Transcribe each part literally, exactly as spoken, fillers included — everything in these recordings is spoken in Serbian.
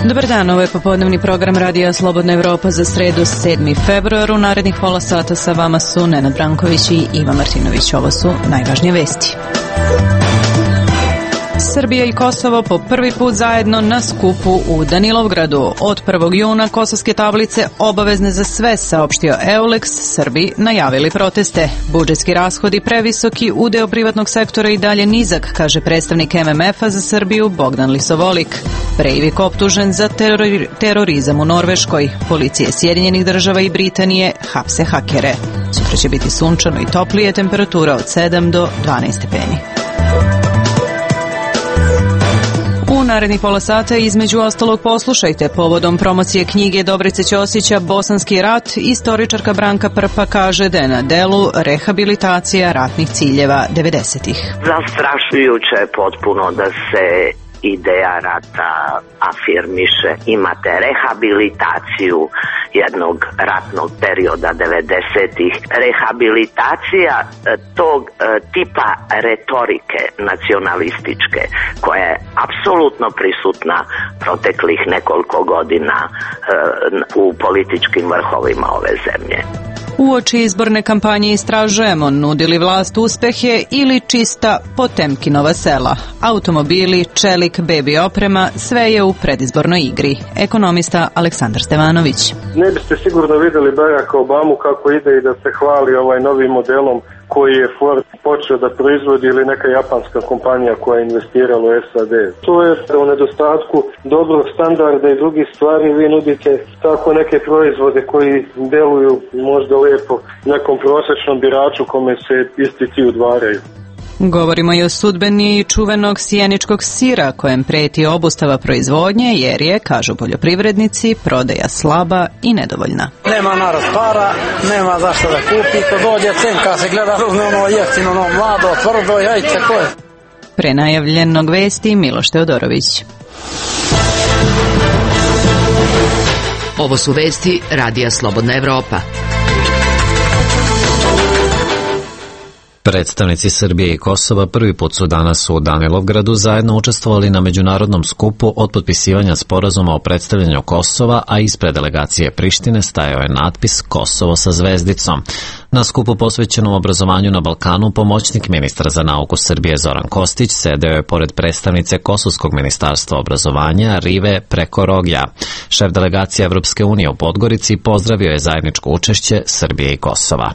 Dobar dan, ovo je popodnevni program Radija Slobodna Evropa za sredu sedmi februar. U narednih pola sata sa vama su Nenad Branković i Iva Martinović. Ovo su najvažnije vesti. Srbija i Kosovo po prvi put zajedno na skupu u Danilovgradu. Od prvog juna kosovske tablice obavezne za sve, saopštio Eulex, Srbi najavili proteste. Budžetski rashodi previsoki, udeo privatnog sektora i dalje nizak, kaže predstavnik em em efa za Srbiju Bogdan Lisovolik. Breivik optužen za terori, terorizam u Norveškoj. Policije Sjedinjenih država i Britanije hapse hakere. Sutra će biti sunčano i toplije, temperatura od sedam do dvanaest stepeni. U narednih pola sata između ostalog poslušajte povodom promocije knjige Dobrice Ćosića Bosanski rat, istoričarka Branka Prpa kaže da je na delu rehabilitacija ratnih ciljeva devedesetih. Zastrašujuće je potpuno da se ideja rata afirmiše. Imate rehabilitaciju jednog ratnog perioda devedesetih. Rehabilitacija tog tipa retorike nacionalističke koja je apsolutno prisutna proteklih nekoliko godina u političkim vrhovima ove zemlje. Uoči izborne kampanje istražujemo, nudi li vlast uspehe ili čista Potemkinova sela. Automobili, čelik, bebi oprema, sve je u predizbornoj igri. Ekonomista Aleksandar Stevanović. Ne biste sigurno vidjeli Baracka Obamu kako ide i da se hvali ovaj novim modelom koji je Ford počeo da proizvodi ili neka japanska kompanija koja je investirala u es a de. To je u nedostatku dobrog standarda i drugih stvari vi nudite tako neke proizvode koji deluju možda lijepo nekom prosječnom biraču kome se isti ti udvaraju. Govorimo i o sudbini čuvenog sjeničkog sira kojem preti obustava proizvodnje jer je, kažu poljoprivrednici, prodaja slaba i nedovoljna. Nema narod para, nema zašto da kupi, ko dođe cenka se gleda ruzne ono jeftino, ono mlado, tvrdo, jajce, ko je? Pre najavljenog vesti Miloš Teodorović. Ovo su vesti Radija Slobodna Evropa. Predstavnici Srbije i Kosova prvi put su danas u Danilovgradu zajedno učestvovali na međunarodnom skupu od potpisivanja sporazuma o predstavljanju Kosova, a ispred delegacije Prištine stajao je natpis Kosovo sa zvezdicom. Na skupu posvećenom obrazovanju na Balkanu pomoćnik ministra za nauku Srbije Zoran Kostić sedeo je pored predstavnice Kosovskog ministarstva obrazovanja Rive Prekorogja. Šef delegacije Evropske unije u Podgorici pozdravio je zajedničko učešće Srbije i Kosova.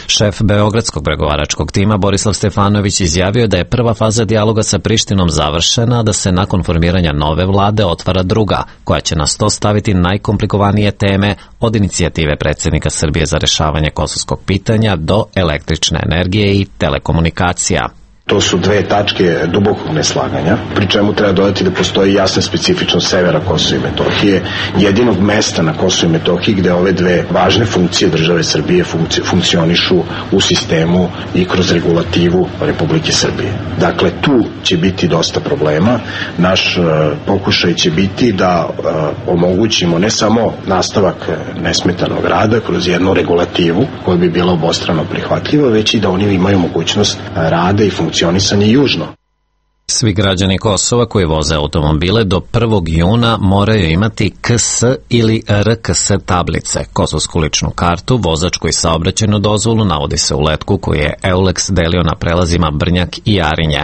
Šef Beogradskog pregovaračkog tima Borislav Stefanović izjavio da je prva faza dijaloga sa Prištinom završena, da se nakon formiranja nove vlade otvara druga, koja će na sto staviti najkomplikovanije teme od inicijative predsjednika Srbije za rešavanje kosovskog pitanja do električne energije i telekomunikacija. To su dve tačke dubokog neslaganja, pri čemu treba dodati da postoji jasna specifičnost severa Kosova i Metohije, jedinog mesta na Kosovu i Metohiji gde ove dve važne funkcije države Srbije funkci, funkcionišu u sistemu i kroz regulativu Republike Srbije. Dakle, tu će biti dosta problema. Naš uh, pokušaj će biti da uh, omogućimo ne samo nastavak nesmetanog rada kroz jednu regulativu koja bi bila obostrano prihvatljiva, već i da oni imaju mogućnost rada i funkcionisanja južno. Svi građani Kosova koji voze automobile do prvog juna moraju imati K S ili R K S tablice, kosovsku ličnu kartu, vozačku i saobraćajnu dozvolu, navodi se u letku koji je Eulex delio na prelazima Brnjak i Jarinje.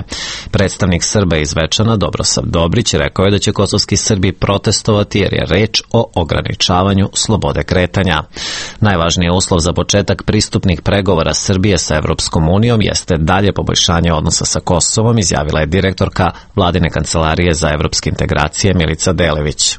Predstavnik Srba iz Zvečana Dobrosav Dobrić rekao je da će kosovski Srbi protestovati jer je reč o ograničavanju slobode kretanja. Najvažniji uslov za početak pristupnih pregovora Srbije sa Evropskom unijom jeste dalje poboljšanje odnosa sa Kosovom, izjavila je direktorka Vladine kancelarije za evropske integracije Milica Delević.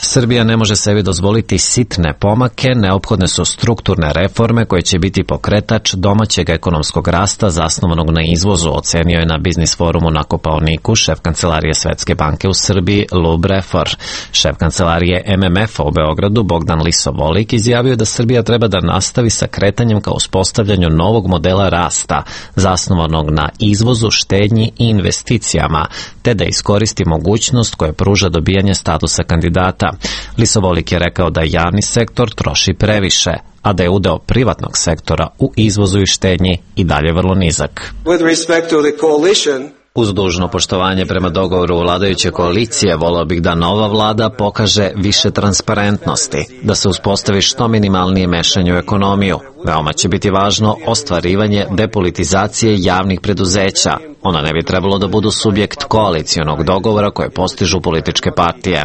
Srbija ne može sebi dozvoliti sitne pomake, neophodne su strukturne reforme koje će biti pokretač domaćeg ekonomskog rasta zasnovanog na izvozu, ocenio je na Biznis forumu na Kopaoniku šef kancelarije Svetske banke u Srbiji Lou Brefor. Šef kancelarije em em efa u Beogradu Bogdan Lisovolik izjavio da Srbija treba da nastavi sa kretanjem ka uspostavljanju novog modela rasta, zasnovanog na izvozu, štednji i investicijama, te da iskoristi mogućnost koje pruža dobijanje statusa kandidata. Lisovolik je rekao da javni sektor troši previše, a da je udeo privatnog sektora u izvozu i štednji i dalje vrlo nizak. Uz dužno poštovanje prema dogovoru vladajuće koalicije, voleo bih da nova vlada pokaže više transparentnosti, da se uspostavi što minimalnije mešanje u ekonomiju. Veoma će biti važno ostvarivanje depolitizacije javnih preduzeća. Ona ne bi trebalo da budu subjekt koalicionog dogovora koje postižu političke partije.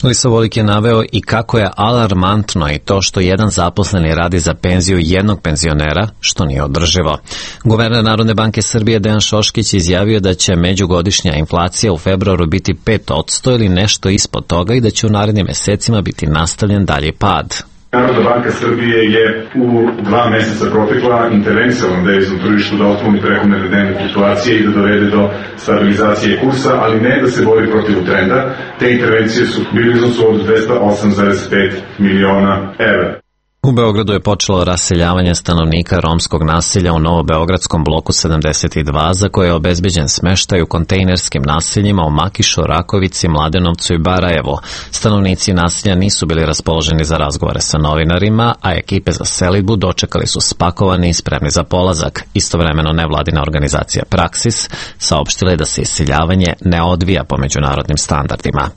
Lisovolik je naveo i kako je alarmantno i to što jedan zaposleni radi za penziju jednog penzionera, što nije održivo. Guverner Narodne banke Srbije Dejan Šoškić izjavio da će međugodišnja inflacija u februaru biti pet posto ili nešto ispod toga i da će u narednim mesecima biti nastavljen dalji pad. Narodna banka Srbije je u dva meseca protekla intervenisala na deviznom tržištu da otkloni prekomerne dnevne fluktuacije i da dovede do stabilizacije kursa, ali ne da se bori protiv trenda. Te intervencije su bili iznosu od dvesta osam zarez pet miliona evra. U Beogradu je počelo raseljavanje stanovnika romskog naselja u Novobeogradskom bloku sedamdeset dva, za koje je obezbeđen smeštaj u kontejnerskim naseljima u Makišu, Rakovici, Mladenovcu i Barajevu. Stanovnici naselja nisu bili raspoloženi za razgovore sa novinarima, a ekipe za selidbu dočekali su spakovani i spremni za polazak. Istovremeno nevladina organizacija Praksis saopštila je da se iseljavanje ne odvija po međunarodnim standardima.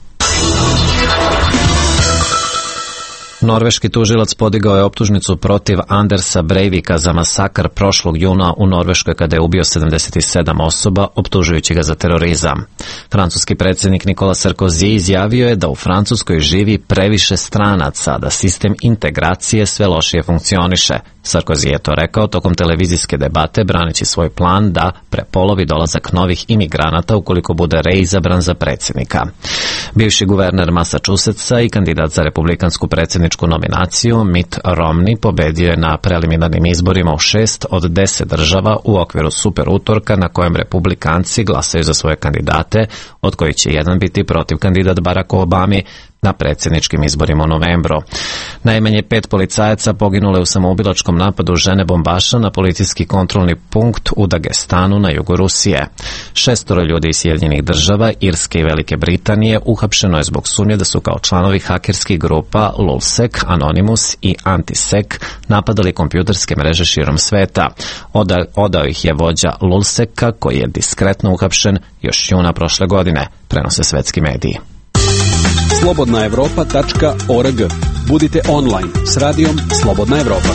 Norveški tužilac podigao je optužnicu protiv Andersa Breivika za masakr prošlog juna u Norveškoj kada je ubio sedamdeset sedam osoba, optužujući ga za terorizam. Francuski predsjednik Nikola Sarkozy izjavio je da u Francuskoj živi previše stranaca, da sistem integracije sve lošije funkcioniše. Sarkozy je to rekao tokom televizijske debate, braneći svoj plan da prepolovi dolazak novih imigranata ukoliko bude reizabran za predsjednika. Bivši guverner Massachusettsa i kandidat za republikansku predsjedničku nominaciju Mitt Romney pobedio je na preliminarnim izborima u šest od deset država u okviru super utorka na kojem republikanci glasaju za svoje kandidate, od kojih će jedan biti protiv kandidat Baracku Obami na predsjedničkim izborima u novembru. Najmanje pet policajaca poginulo je u samoubilačkom napadu žene bombaša na policijski kontrolni punkt u Dagestanu na jugu Rusije. Šestoro ljudi iz Sjedinjenih država, Irske i Velike Britanije uhapšeno je zbog sumnje da su kao članovi hakerskih grupa Lulzsec, Anonymous i Antisec napadali kompjuterske mreže širom sveta. Oda, odao ih je vođa Lulzseca koji je diskretno uhapšen još juna prošle godine, prenose svetski mediji. slobodna evropa tačka org. Budite online s radijom Slobodna Evropa.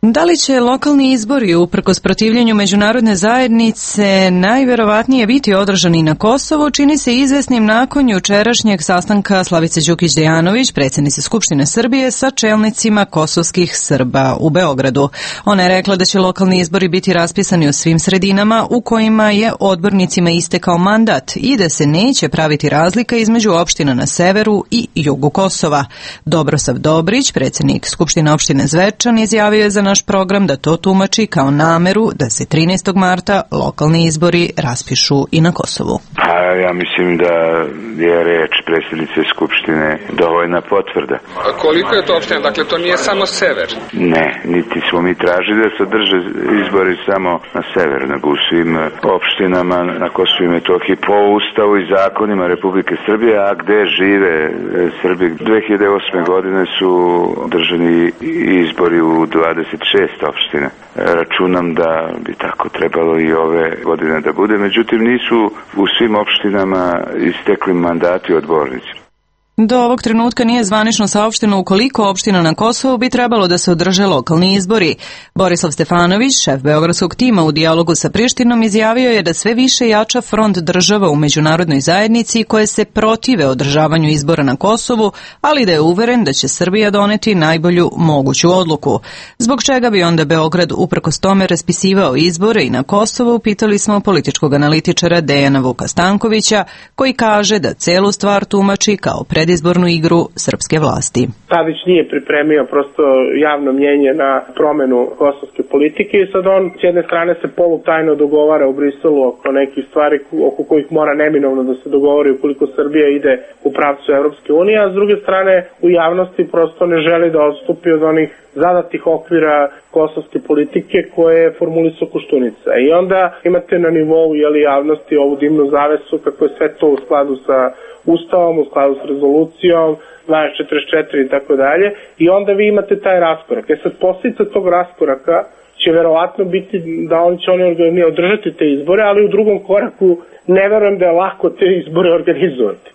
Da li će lokalni izbori uprkos protivljenju međunarodne zajednice najverovatnije biti održani na Kosovu, čini se izvesnim nakon jučerašnjeg sastanka Slavice Đukić-Dejanović, predsjednice Skupštine Srbije, sa čelnicima kosovskih Srba u Beogradu. Ona je rekla da će lokalni izbori biti raspisani u svim sredinama u kojima je odbornicima istekao mandat i da se neće praviti razlika između opština na severu i jugu Kosova. Dobrosav Dobrić, predsjednik Skupštine opštine Zvečan, izjavio je za naš program da to tumači kao nameru da se trinaestog marta lokalni izbori raspišu i na Kosovu. A ja mislim da je reč predsjednice Skupštine dovoljna potvrda. A koliko je to opština? Dakle, to nije samo sever? Ne, niti smo mi tražili da se održe izbori samo na sever, nego u svim opštinama na Kosovu i Metohiji po Ustavu i zakonima Republike Srbije, a gde žive Srbi. dve hiljade osme godine su održani izbori u dvadeset šest opština. Računam da bi tako trebalo i ove godine da bude, međutim nisu u svim opštinama istekli mandati odbornici. Do ovog trenutka nije zvanično saopšteno u koliko opština na Kosovu bi trebalo da se održe lokalni izbori. Borislav Stefanović, šef beogradskog tima u dijalogu sa Prištinom, izjavio je da sve više jača front država u međunarodnoj zajednici koje se protive održavanju izbora na Kosovu, ali da je uveren da će Srbija doneti najbolju moguću odluku. Zbog čega bi onda Beograd uprkos tome raspisivao izbore i na Kosovu, pitali smo političkog analitičara Dejana Vuka Stankovića, koji kaže da celu stvar tumači kao pred izbornu igru srpske vlasti. Tadić nije pripremio prosto javno mnjenje na promenu kosovske politike i sad on s jedne strane se polutajno dogovara u Briselu oko nekih stvari oko kojih mora neminovno da se dogovori ukoliko Srbija ide u pravcu Evropske unije, a s druge strane u javnosti prosto ne želi da odstupi od onih zadatih okvira kosovske politike koje je formulisao Koštunica. I onda imate na nivou jeli, javnosti ovu dimnu zavesu kako je sve to u skladu sa ustavom, u skladu s rezolucijom dvanaest četrdeset četiri i tako dalje, i onda vi imate taj raskorak. E sad, posljedica tog raskoraka će verovatno biti da on će oni održati te izbore, ali u drugom koraku ne verujem da je lako te izbore organizovati.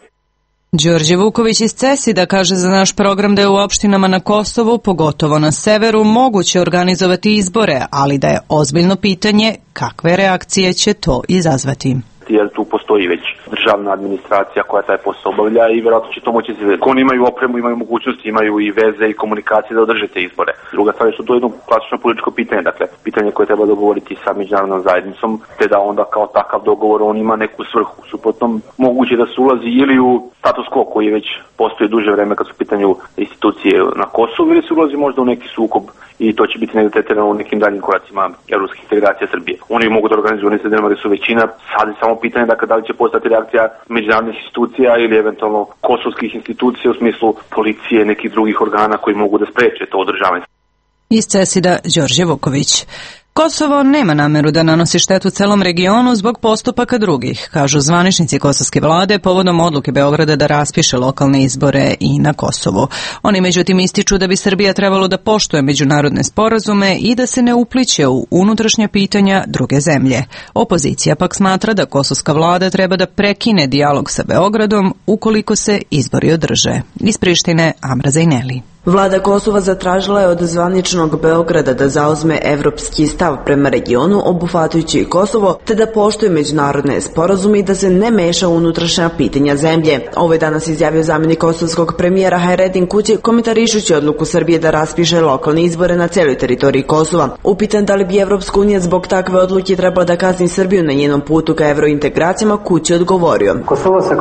Đorđe Vuković iz CESID-a kaže za naš program da je u opštinama na Kosovu, pogotovo na severu, moguće organizovati izbore, ali da je ozbiljno pitanje kakve reakcije će to izazvati. Jer tu postoji već državna administracija koja taj posao obavlja i vjerojatno će to moći se. Ako oni imaju opremu, imaju mogućnosti, imaju i veze i komunikacije da održe te izbore. Druga stvar je što to je jedno klasično političko pitanje, dakle pitanje koje treba dogovoriti sa međunarodnom zajednicom, te da onda kao takav dogovor on ima neku svrhu. Suprotno moguće da se ulazi ili u status quo koji već postoji duže vreme kad su u pitanju institucije na Kosovu, ili se ulazi možda u neki sukob i to će biti negdje tretirano u nekim daljim koracima evropskih integracija Srbije. Oni mogu da organizuju one sredinama gde su većina, sad je samo pitanje dakle, da li će postati reakcija međunarodnih institucija ili eventualno kosovskih institucija u smislu policije, nekih drugih organa koji mogu da spreče to održavanje. Iz CESID-a Đorđe Vuković. Kosovo nema nameru da nanosi štetu celom regionu zbog postupaka drugih, kažu zvaničnici kosovske vlade povodom odluke Beograda da raspiše lokalne izbore i na Kosovu. Oni međutim ističu da bi Srbija trebalo da poštuje međunarodne sporazume i da se ne upliće u unutrašnja pitanja druge zemlje. Opozicija pak smatra da kosovska vlada treba da prekine dijalog sa Beogradom ukoliko se izbori održe. Iz Prištine, Amra Zajneli. Vlada Kosova zatražila je od zvaničnog Beograda da zauzme evropski stav prema regionu, obuhvatajući i Kosovo, te da poštuje međunarodne sporazume i da se ne meša u unutrašnja pitanja zemlje. Ovo je danas izjavio zamjenik kosovskog premijera Hayreddin Kući, komentarišući odluku Srbije da raspiše lokalne izbore na celoj teritoriji Kosova. Upitan da li bi Evropska unija zbog takve odluke trebala da kazni Srbiju na njenom putu ka evrointegracijama, Kući odgovorio: Kosovo se,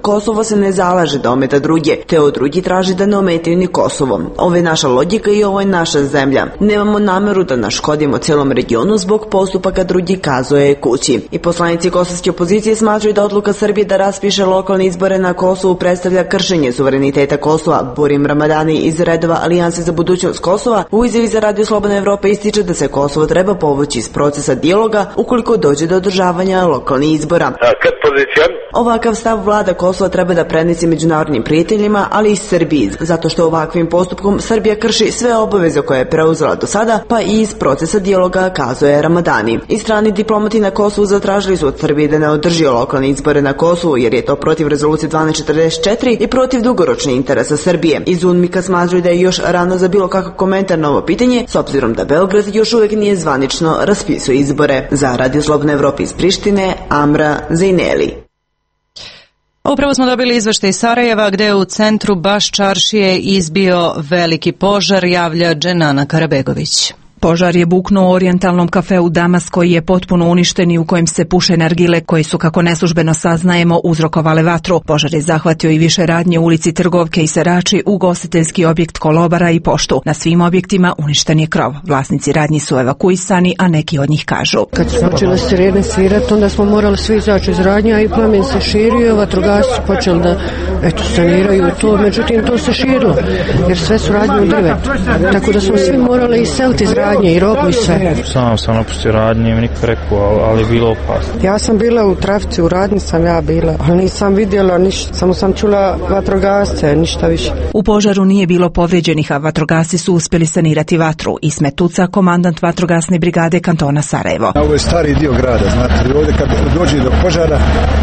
Kosovo se ne zalaže da ometa druge, te od drugi traži da ne ometaju Kosovo. Ovo je naša logika i ovo je naša zemlja. Nemamo nameru da naškodimo celom regionu zbog postupaka drugi, kazuje Kući. I poslanici kosovske opozicije smatraju da odluka Srbije da raspiše lokalne izbore na Kosovu predstavlja kršenje suvereniteta Kosova. Burim Ramadani iz redova Alijanse za budućnost Kosova u izjavi za Radio Slobodna Evropa ističe da se Kosovo treba povući iz procesa dijaloga ukoliko dođe do održavanja lokalnih izbora. Ovakav stav vlada Kosova treba da prenese međunarodnim prijateljima, ali i Srbiji, zato što ovakvim postupkom Srbija krši sve obaveze koje je preuzela do sada, pa i iz procesa dijaloga, kazuje Ramadani. I strani diplomati na Kosovu zatražili su od Srbije da ne održi lokalne izbore na Kosovu, jer je to protiv rezolucije dvanaest četrdeset četiri i protiv dugoročnih interesa Srbije. Iz UNMIK-a smatraju da je još rano za bilo kakav komentar na ovo pitanje, s obzirom da Beograd još uvek nije zvanično raspisuje izbore. Za Radio Slobodna Evropa iz Prištine, Amra Zajneli. Upravo smo dobili izveštaj iz Sarajeva gde je u centru Baš čaršije izbio veliki požar, javlja Dženana Karabegović. Požar je buknuo u orijentalnom kafeu Damas koji je potpuno uništen i u kojem se puše nargile koji su, kako neslužbeno saznajemo, uzrokovale vatru. Požar je zahvatio i više radnje u ulici Trgovke i Serači, ugostiteljski objekt Kolobara i poštu. Na svim objektima uništen je krov. Vlasnici radnji su evakuisani, a neki od njih kažu: Kad su počele sirene svirati, onda smo morali svi izaći iz radnja i plamen se širio, vatrogasci počeli da eto, saniraju to, međutim to se širilo jer sve su radnje u drvetu. Tako da smo svi morali iseliti iz radnja i robu i sve. Sam sam napustio radnje, mi niko rekao, ali je bilo opasno. Ja sam bila u trafici, u radnji sam ja bila, ali nisam vidjela ništa, samo sam čula vatrogasce, ništa više. U požaru nije bilo povrijeđenih, a vatrogasci su uspjeli sanirati vatru. Ismet Tuca, komandant vatrogasne brigade kantona Sarajevo. Ovo je stari dio grada, znate, ovdje kad dođe do požara,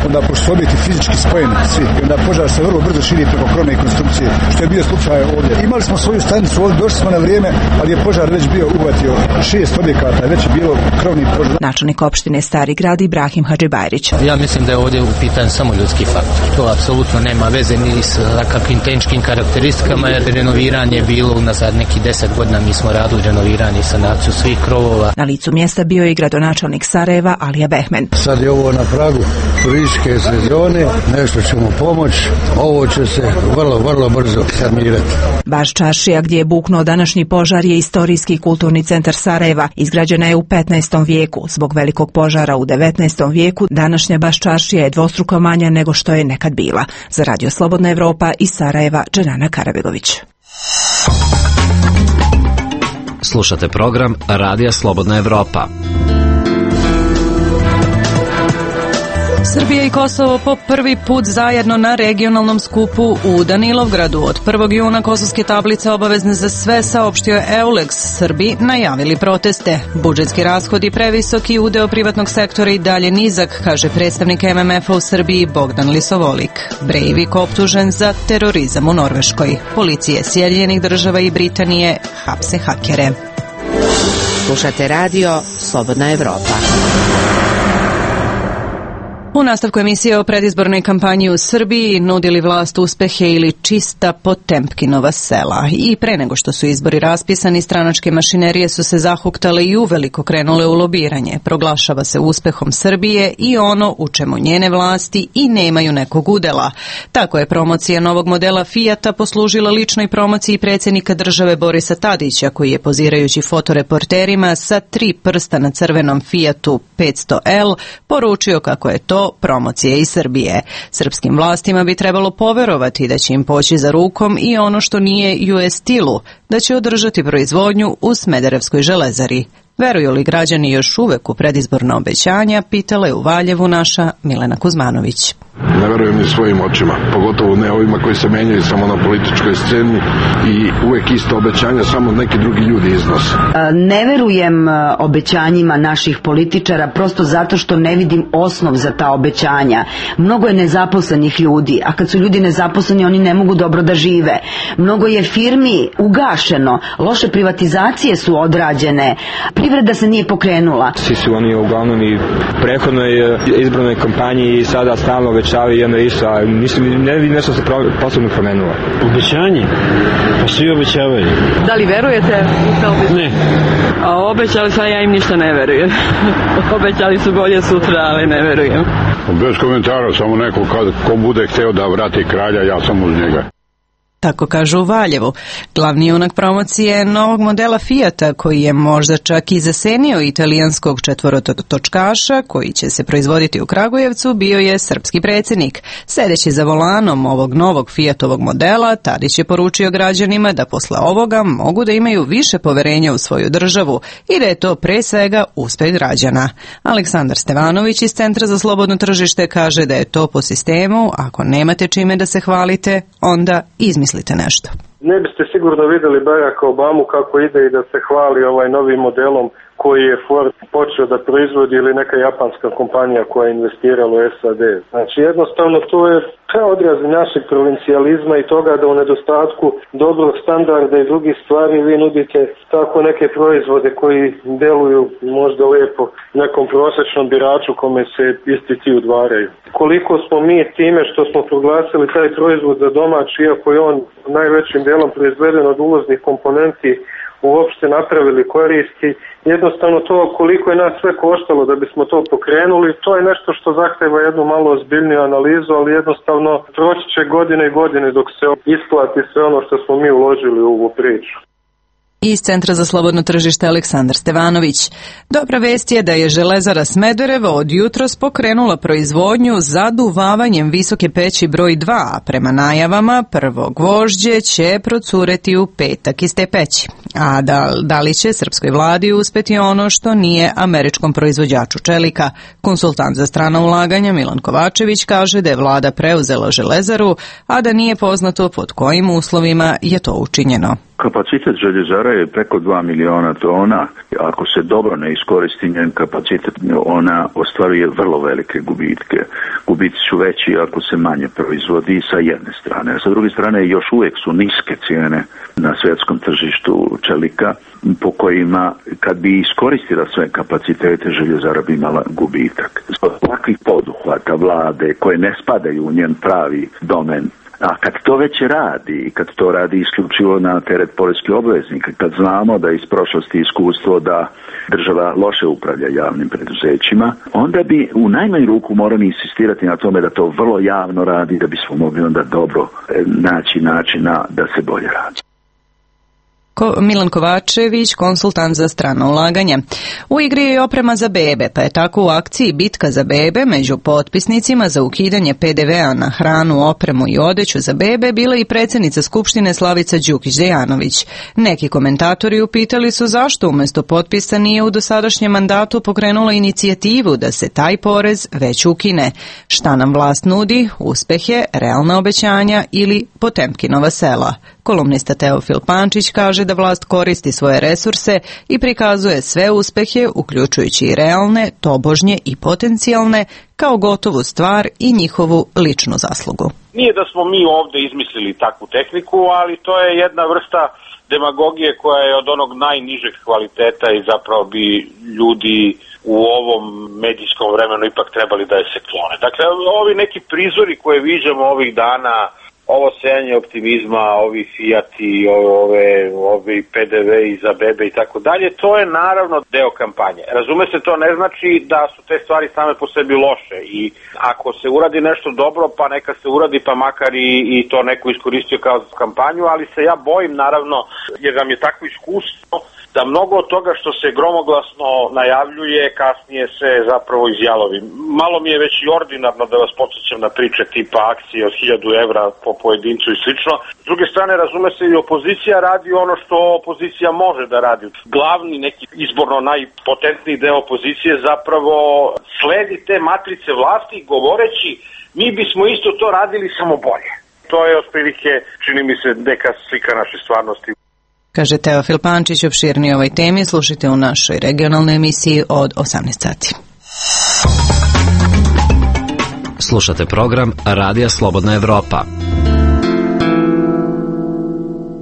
onda pošto su objekti fizički spojeni svi, onda požar se vrlo brzo širi preko krovne konstrukcije, što je bio slučaj ovdje. Imali smo svoju stanicu ovdje, došli smo na vrijeme, ali je požar već bio uvatio šest objekata, već je bilo krovni požar. Načelnik opštine Stari grad Ibrahim Hadžibajrić. Ja mislim da je ovdje u pitanju samo ljudski faktor. To apsolutno nema veze ni s kakvim tehničkim karakteristikama, jer renoviranje je bilo unazad neki deset godina. Mi smo radili renoviranje i sanaciju svih krovova. Na licu mjesta bio je i gradonačelnik Sarajeva Alija Behmen. Sad je ovo na pragu turističke sezone, nešto ćemo pomoći, ovo će se vrlo, vrlo brzo sanirati. Baš čaršija gdje je buknuo današnji požar je istorijski kulturni centar Sarajeva. Izgrađena je u petnaestom vijeku. Zbog velikog požara u devetnaestom vijeku današnja Baš čaršija je dvostruko manja nego što je nekad bila. Za Radio Slobodna Evropa iz Sarajeva, Dženana Karabegović. Slušate program Radija Slobodna Evropa. Srbija i Kosovo po prvi put zajedno na regionalnom skupu u Danilovgradu. Od prvog juna kosovske tablice obavezne za sve, saopštio je Eulex. Srbi najavili proteste. Budžetski rashodi previsoki, udeo privatnog sektora i dalje nizak, kaže predstavnik M M F-a u Srbiji Bogdan Lisovolik. Breivik optužen za terorizam u Norveškoj. Policije Sjedinjenih država i Britanije hapse hakere. Slušate radio Slobodna Evropa. U nastavku emisije o predizbornoj kampanji u Srbiji nudili vlast uspehe ili čista Potemkinova sela. I pre nego što su izbori raspisani, stranačke mašinerije su se zahuktale i uveliko krenule u lobiranje. Proglašava se uspehom Srbije i ono u čemu njene vlasti i nemaju nekog udela. Tako je promocija novog modela Fijata poslužila ličnoj promociji predsjednika države Borisa Tadića, koji je pozirajući fotoreporterima sa tri prsta na crvenom Fijatu petsto L poručio kako je to promocije iz Srbije. Srpskim vlastima bi trebalo poverovati da će im poći za rukom i ono što nije U S stilu, da će održati proizvodnju u Smederevskoj železari. Veruju li građani još uvek u predizborna obećanja, pitala je u Valjevu naša Milena Kuzmanović. Ne verujem ni svojim očima, pogotovo ne ovima koji se menjaju samo na političkoj sceni i uvek isto obećanja, samo neki drugi ljudi iznose. Ne verujem obećanjima naših političara prosto zato što ne vidim osnov za ta obećanja. Mnogo je nezaposlenih ljudi, a kad su ljudi nezaposleni oni ne mogu dobro da žive. Mnogo je firmi ugašeno, loše privatizacije su odrađene, privreda se nije pokrenula. Svi su oni uglavnom i prethodnoj izbornoj kampanji i sada stalno obećavaju i onda isto, a mislim, ne vidim nešto se posebno promenilo. Obećanje? Pa svi obećavaju. Da li verujete? Ne. A obećali sam, ja im ništa ne verujem. Obećali su bolje sutra, ali ne verujem. Bez komentara, samo neko kad, ko bude hteo da vrati kralja, ja sam uz njega. Tako kažu u Valjevu. Glavni junak promocije novog modela Fijata, koji je možda čak i zasenio italijanskog četvorotočkaša, koji će se proizvoditi u Kragujevcu, bio je srpski predsjednik. Sedeći za volanom ovog novog Fijatovog modela, Tadić je poručio građanima da posle ovoga mogu da imaju više poverenja u svoju državu i da je to pre svega uspeh građana. Aleksandar Stevanović iz Centra za slobodno tržište kaže da je to po sistemu: ako nemate čime da se hvalite, onda izmislite nešto. Ne biste sigurno vidjeli Baracka Obamu kako ide i da se hvali ovaj novim modelom koji je Ford počeo da proizvodi ili neka japanska kompanija koja je investirala u S A D. Znači jednostavno to je odraz našeg provincijalizma i toga da u nedostatku dobrog standarda i drugih stvari vi nudite tako neke proizvode koji deluju možda lijepo nekom prosječnom biraču kome se isti ti udvaraju. Koliko smo mi time što smo proglasili taj proizvod za domaći, iako je on najvećim delom proizveden od uvoznih komponenti, uopšte napravili koristi, jednostavno to koliko je nas sve koštalo da bismo to pokrenuli, to je nešto što zahteva jednu malo ozbiljniju analizu, ali jednostavno proći će godine i godine dok se isplati sve ono što smo mi uložili u ovu priču. Iz Centra za slobodno tržište Aleksandar Stevanović. Dobra vest je da je Železara Smederevo od jutros pokrenula proizvodnju zaduvavanjem visoke peći broj dva, a prema najavama prvo gvožđe će procureti u petak iz te peći. A da, da li će srpskoj vladi uspeti ono što nije američkom proizvođaču čelika? Konsultant za strana ulaganja Milan Kovačević kaže da je vlada preuzela Železaru, a da nije poznato pod kojim uslovima je to učinjeno. Kapacitet željezara je preko dva miliona tona. Ako se dobro ne iskoristi njen kapacitet, ona ostvaruje vrlo velike gubitke. Gubici su veći ako se manje proizvodi sa jedne strane. A sa druge strane još uvijek su niske cijene na svjetskom tržištu čelika, po kojima kad bi iskoristila sve kapacitete željezara bi imala gubitak. Zbog takvih poduhvata vlade koje ne spadaju u njen pravi domen, a kad to već radi, kad to radi isključivo na teret poreskih obveznika, kad znamo da iz prošlosti iskustvo da država loše upravlja javnim preduzećima, onda bi u najmanju ruku morali insistirati na tome da to vrlo javno radi, da bismo mogli onda dobro naći načina da se bolje radi. Milan Kovačević, konsultant za strana ulaganja. U igri je i oprema za bebe, pa je tako u akciji Bitka za bebe među potpisnicima za ukidanje pe de vea na hranu, opremu i odeću za bebe bila i predsjednica Skupštine Slavica Đukić-Dejanović. Neki komentatori upitali su zašto umjesto potpisa nije u dosadašnjem mandatu pokrenula inicijativu da se taj porez već ukine. Šta nam vlast nudi? Uspehe, realna obećanja ili Potemkinova sela? Kolumnista Teofil Pančić kaže da vlast koristi svoje resurse i prikazuje sve uspehe, uključujući i realne, tobožnje i potencijalne, kao gotovu stvar i njihovu ličnu zaslugu. Nije da smo mi ovde izmislili takvu tehniku, ali to je jedna vrsta demagogije koja je od onog najnižeg kvaliteta i zapravo bi ljudi u ovom medijskom vremenu ipak trebali da je se klone. Dakle, ovi neki prizori koje viđamo ovih dana, ovo sejanje optimizma, ovi Fijati, ove, ovi pe de ve i za bebe i tako dalje, to je naravno deo kampanje. Razume se, to ne znači da su te stvari same po sebi loše i ako se uradi nešto dobro, pa neka se uradi, pa makar i, i to neko iskoristio kao kampanju, ali se ja bojim naravno, jer nam je takvo iskustvo, da mnogo od toga što se gromoglasno najavljuje, kasnije se zapravo izjalovi. Malo mi je već i ordinarno da vas podsjećam na priče tipa akcije od hiljadu evra po pojedincu i slično. S druge strane, razume se, i opozicija radi ono što opozicija može da radi. Glavni, neki izborno najpotentniji deo opozicije zapravo sledi te matrice vlasti govoreći mi bismo isto to radili samo bolje. To je otprilike, čini mi se, neka slika naše stvarnosti. Kaže Teofil Pančić. Opširnije o ovoj temi slušajte u našoj regionalnoj emisiji od osamnaest sati. Slušate program Radija Slobodna Evropa.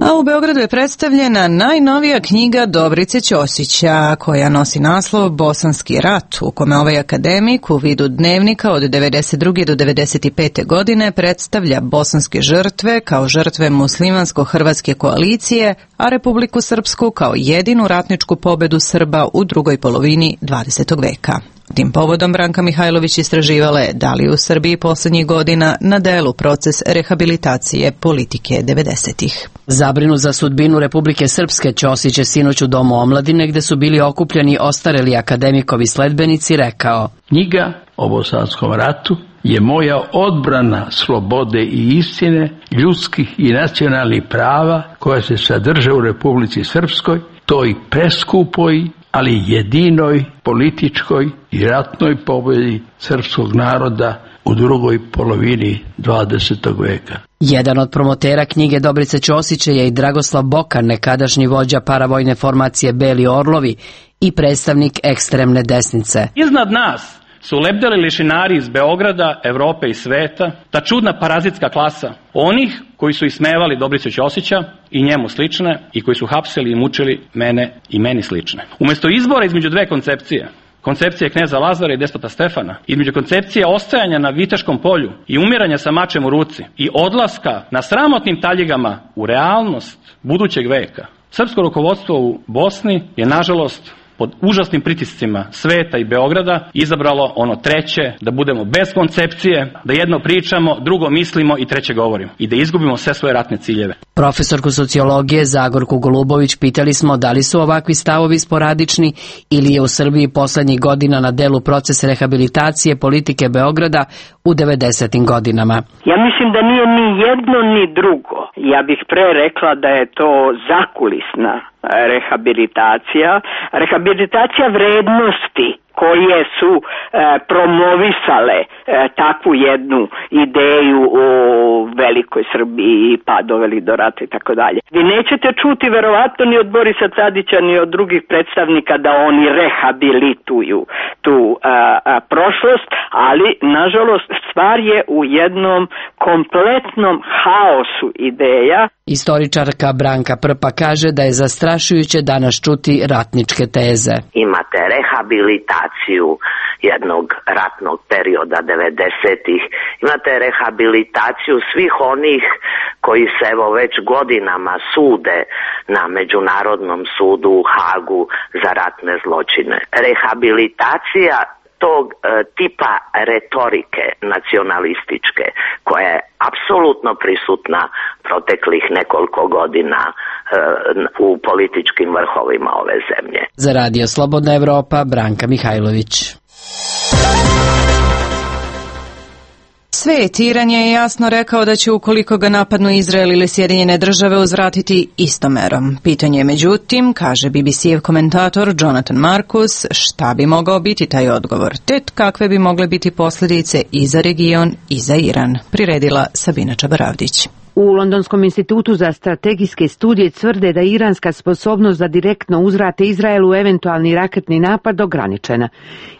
A u Beogradu je predstavljena najnovija knjiga Dobrice Ćosića, koja nosi naslov Bosanski rat, u kome ovaj akademik u vidu dnevnika od devedeset druge do devedeset pete godine predstavlja bosanske žrtve kao žrtve muslimansko-hrvatske koalicije, a Republiku Srpsku kao jedinu ratničku pobedu Srba u drugoj polovini dvadesetog veka. Tim povodom Branka Mihajlović istraživala je da li u Srbiji poslednjih godina na delu proces rehabilitacije politike devedesetih. Zabrinut za sudbinu Republike Srpske, Ćosić je sinoć u Domu omladine, gde su bili okupljeni ostareli akademikovi sledbenici, rekao: Knjiga o Bosanskom ratu je moja odbrana slobode i istine, ljudskih i nacionalnih prava koja se sadrže u Republici Srpskoj, toj preskupoj, ali jedinoj političkoj i ratnoj pobedi srpskog naroda u drugoj polovini dvadesetog veka. Jedan od promotera knjige Dobrice Ćosića je i Dragoslav Bokan, nekadašnji vođa paravojne formacije Beli Orlovi i predstavnik ekstremne desnice. Iznad nas su lebdeli lišinari iz Beograda, Evrope i sveta, ta čudna parazitska klasa onih koji su ismevali Dobricu Ćosića i njemu slične i koji su hapsili i mučili mene i meni slične. Umesto izbora između dve koncepcije, koncepcije kneza Lazara i despota Stefana, između koncepcije ostajanja na Viteškom polju i umiranja sa mačem u ruci i odlaska na sramotnim taljigama u realnost budućeg veka, srpsko rukovodstvo u Bosni je, nažalost, pod užasnim pritiscima sveta i Beograda izabralo ono treće, da budemo bez koncepcije, da jedno pričamo, drugo mislimo i treće govorimo i da izgubimo sve svoje ratne ciljeve. Profesorku sociologije Zagorku Golubović pitali smo da li su ovakvi stavovi sporadični ili je u Srbiji poslednjih godina na delu proces rehabilitacije politike Beograda u devedesetim godinama. Ja mislim da nije ni jedno ni drugo. Ja bih pre rekla da je to zakulisna rehabilitacija, rehabilitacija vrednosti koje su e, promovisale e, takvu jednu ideju o velikoj Srbiji pa doveli do rata i tako dalje. Vi nećete čuti verovatno ni od Borisa Tadića ni od drugih predstavnika da oni rehabilituju tu a, a, prošlost, ali nažalost stvar je u jednom kompletnom haosu ideja. Istoričarka Branka Prpa kaže da je zastrašujuće danas čuti ratničke teze. Imate rehabilitaciju jednog ratnog perioda devedesetih, imate rehabilitaciju svih onih koji se evo već godinama sude na Međunarodnom sudu u Hagu za ratne zločine. Rehabilitacija tog e, tipa retorike nacionalističke koja je apsolutno prisutna proteklih nekoliko godina u političkim vrhovima ove zemlje. Za Radio Slobodna Evropa, Branka Mihajlović. Svet, Iran je jasno rekao da će ukoliko ga napadnu Izrael ili Sjedinjene države uzvratiti istom merom. Pitanje je međutim, kaže B B C-ev komentator Jonathan Marcus, šta bi mogao biti taj odgovor, te kakve bi mogle biti posljedice i za region i za Iran, priredila Sabina Čabaravdić. U Londonskom institutu za strategijske studije tvrde da iranska sposobnost za direktno uzvrate Izraelu eventualni raketni napad ograničena.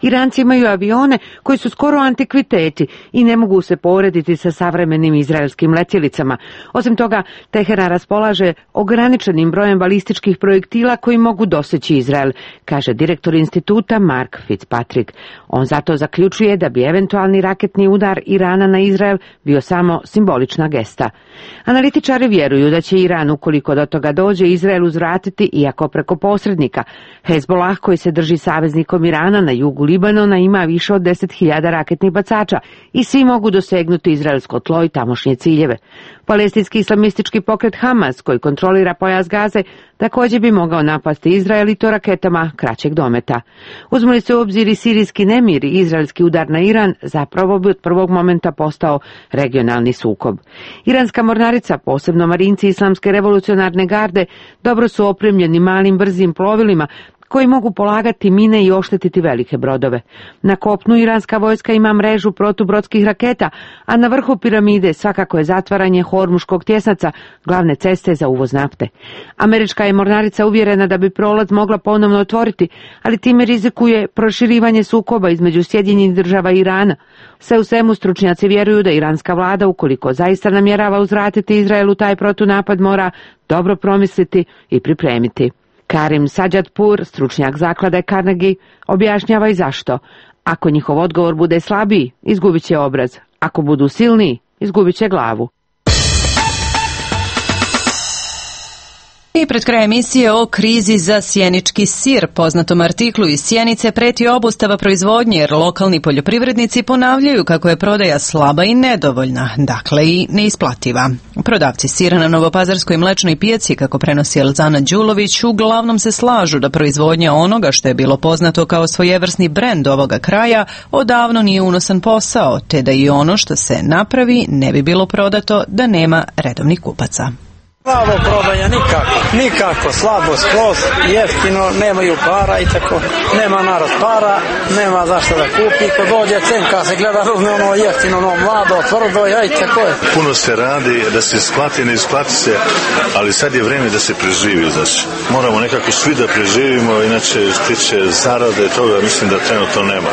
Iranci imaju avione koji su skoro antikviteti i ne mogu se porediti sa savremenim izraelskim letjelicama. Osim toga, Teheran raspolaže ograničenim brojem balističkih projektila koji mogu doseći Izrael, kaže direktor instituta Mark Fitzpatrick. On zato zaključuje da bi eventualni raketni udar Irana na Izrael bio samo simbolična gesta. Analitičari vjeruju da će Iran, ukoliko do toga dođe, Izrael uzvratiti, iako preko posrednika. Hezbollah, koji se drži saveznikom Irana na jugu Libanona, ima više od deset hiljada raketnih bacača i svi mogu dosegnuti izraelsko tlo i tamošnje ciljeve. Palestinski islamistički pokret Hamas, koji kontrolira pojas Gaze, također bi mogao napasti Izrael i to raketama kraćeg dometa. Uzme li se u obzir i sirijski nemir i izraelski udar na Iran, zapravo bi od prvog momenta postao regionalni sukob. Iranska mornarica, posebno marinci Islamske revolucionarne garde, dobro su opremljeni malim brzim plovilima koji mogu polagati mine i oštetiti velike brodove. Na kopnu iranska vojska ima mrežu protubrodskih raketa, a na vrhu piramide svakako je zatvaranje Hormuškog tjesnaca, glavne ceste za uvoz nafte. Američka je mornarica uvjerena da bi prolaz mogla ponovno otvoriti, ali time rizikuje proširivanje sukoba između Sjedinjenih država i Irana. Sve u svemu stručnjaci vjeruju da iranska vlada, ukoliko zaista namjerava uzvratiti Izraelu taj protunapad, mora dobro promisliti i pripremiti. Karim Sajadpur, stručnjak zaklade Carnegie, objašnjava i zašto. Ako njihov odgovor bude slabiji, izgubit će obraz. Ako budu silniji, izgubit će glavu. I pred kraj emisije o krizi za sjenički sir. Poznatom artiklu iz Sjenice preti obustava proizvodnje jer lokalni poljoprivrednici ponavljaju kako je prodaja slaba i nedovoljna, dakle i neisplativa. Prodavci sira na Novopazarskoj mlečnoj pijaci, kako prenosi Elzana Đulović, uglavnom se slažu da proizvodnja onoga što je bilo poznato kao svojevrsni brend ovoga kraja odavno nije unosan posao, te da i ono što se napravi ne bi bilo prodato da nema redovnih kupaca. Slabo prodaja, nikako, nikako, slabo, skroz, jeftino, nemaju para i tako, nema narod para, nema zašto da kupi, ko dođe cenka se gleda ruzne ono jeftino, ono mlado, tvrdo, ja i tako je. Puno se radi da se isplati, ne isplati se, ali sad je vrijeme da se preživi, znači moramo nekako svi da preživimo, inače stiče zarade toga, mislim da trenutno nema.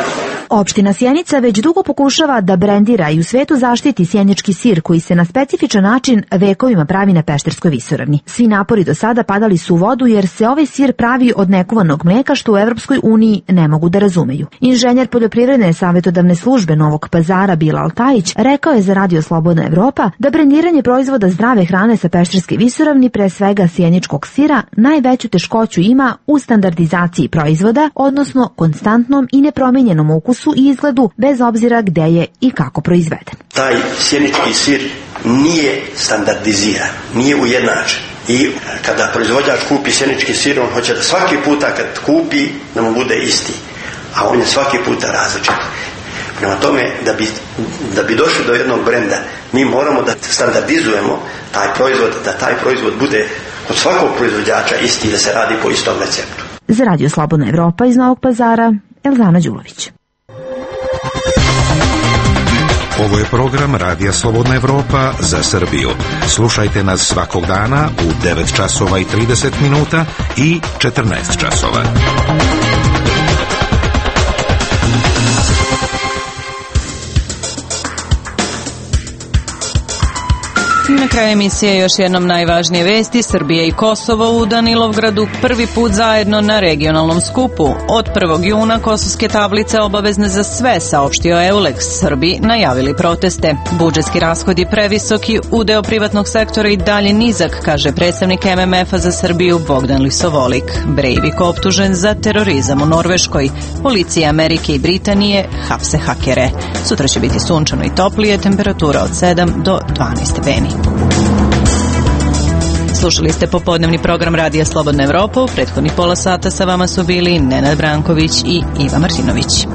Opština Sjenica već dugo pokušava da brendira i u svetu zaštiti sjenički sir koji se na specifičan način vekovima pravi na Pešterskoj visoravni. Svi napori do sada padali su u vodu jer se ovaj sir pravi od nekuvanog mlijeka što u Evropskoj uniji ne mogu da razumeju. Inženjer poljoprivredne savjetodavne službe Novog Pazara Bilal Tajić rekao je za Radio Slobodna Evropa da brendiranje proizvoda zdrave hrane sa Pešterske visoravni, pre svega sjeničkog sira, najveću teškoću ima u standardizaciji proizvoda, odnosno konstantnom i nepromijenjenom ukusu i izgledu bez obzira gde je i kako proizveden. Taj sjenički sir nije standardiziran, nije ujednačen. I kada proizvođač kupi sjenički sir, on hoće da svaki puta kad kupi da mu bude isti, a on je svaki puta različit. Prema tome, da bi, da bi došli do jednog brenda, mi moramo da standardizujemo taj proizvod, da taj proizvod bude kod svakog proizvođača isti, da se radi po istom receptu. Za Radio Slobodna Evropa iz Novog Pazara, Elzana Đulović. Ovo je program Radija Slobodna Evropa za Srbiju. Slušajte nas svakog dana u devet časova i trideset minuta i četrnaest časova. Na kraju emisije još jednom najvažnije vesti. Srbija i Kosovo u Danilovgradu prvi put zajedno na regionalnom skupu. Od prvog juna kosovske tablice obavezne za sve, saopštio Eulex. Srbi najavili proteste. Budžetski rashodi previsoki, udeo privatnog sektora i dalje nizak, kaže predstavnik M M F-a za Srbiju Bogdan Lisovolik. Breivik optužen za terorizam u Norveškoj. Policija Amerike i Britanije hapse hakere. Sutra će biti sunčano i toplije, temperatura od sedam do dvanaest stepeni. Slušali ste popodnevni program Radija Slobodna Evropa. U prethodnih pola sata sa vama su bili Nenad Branković i Iva Martinović.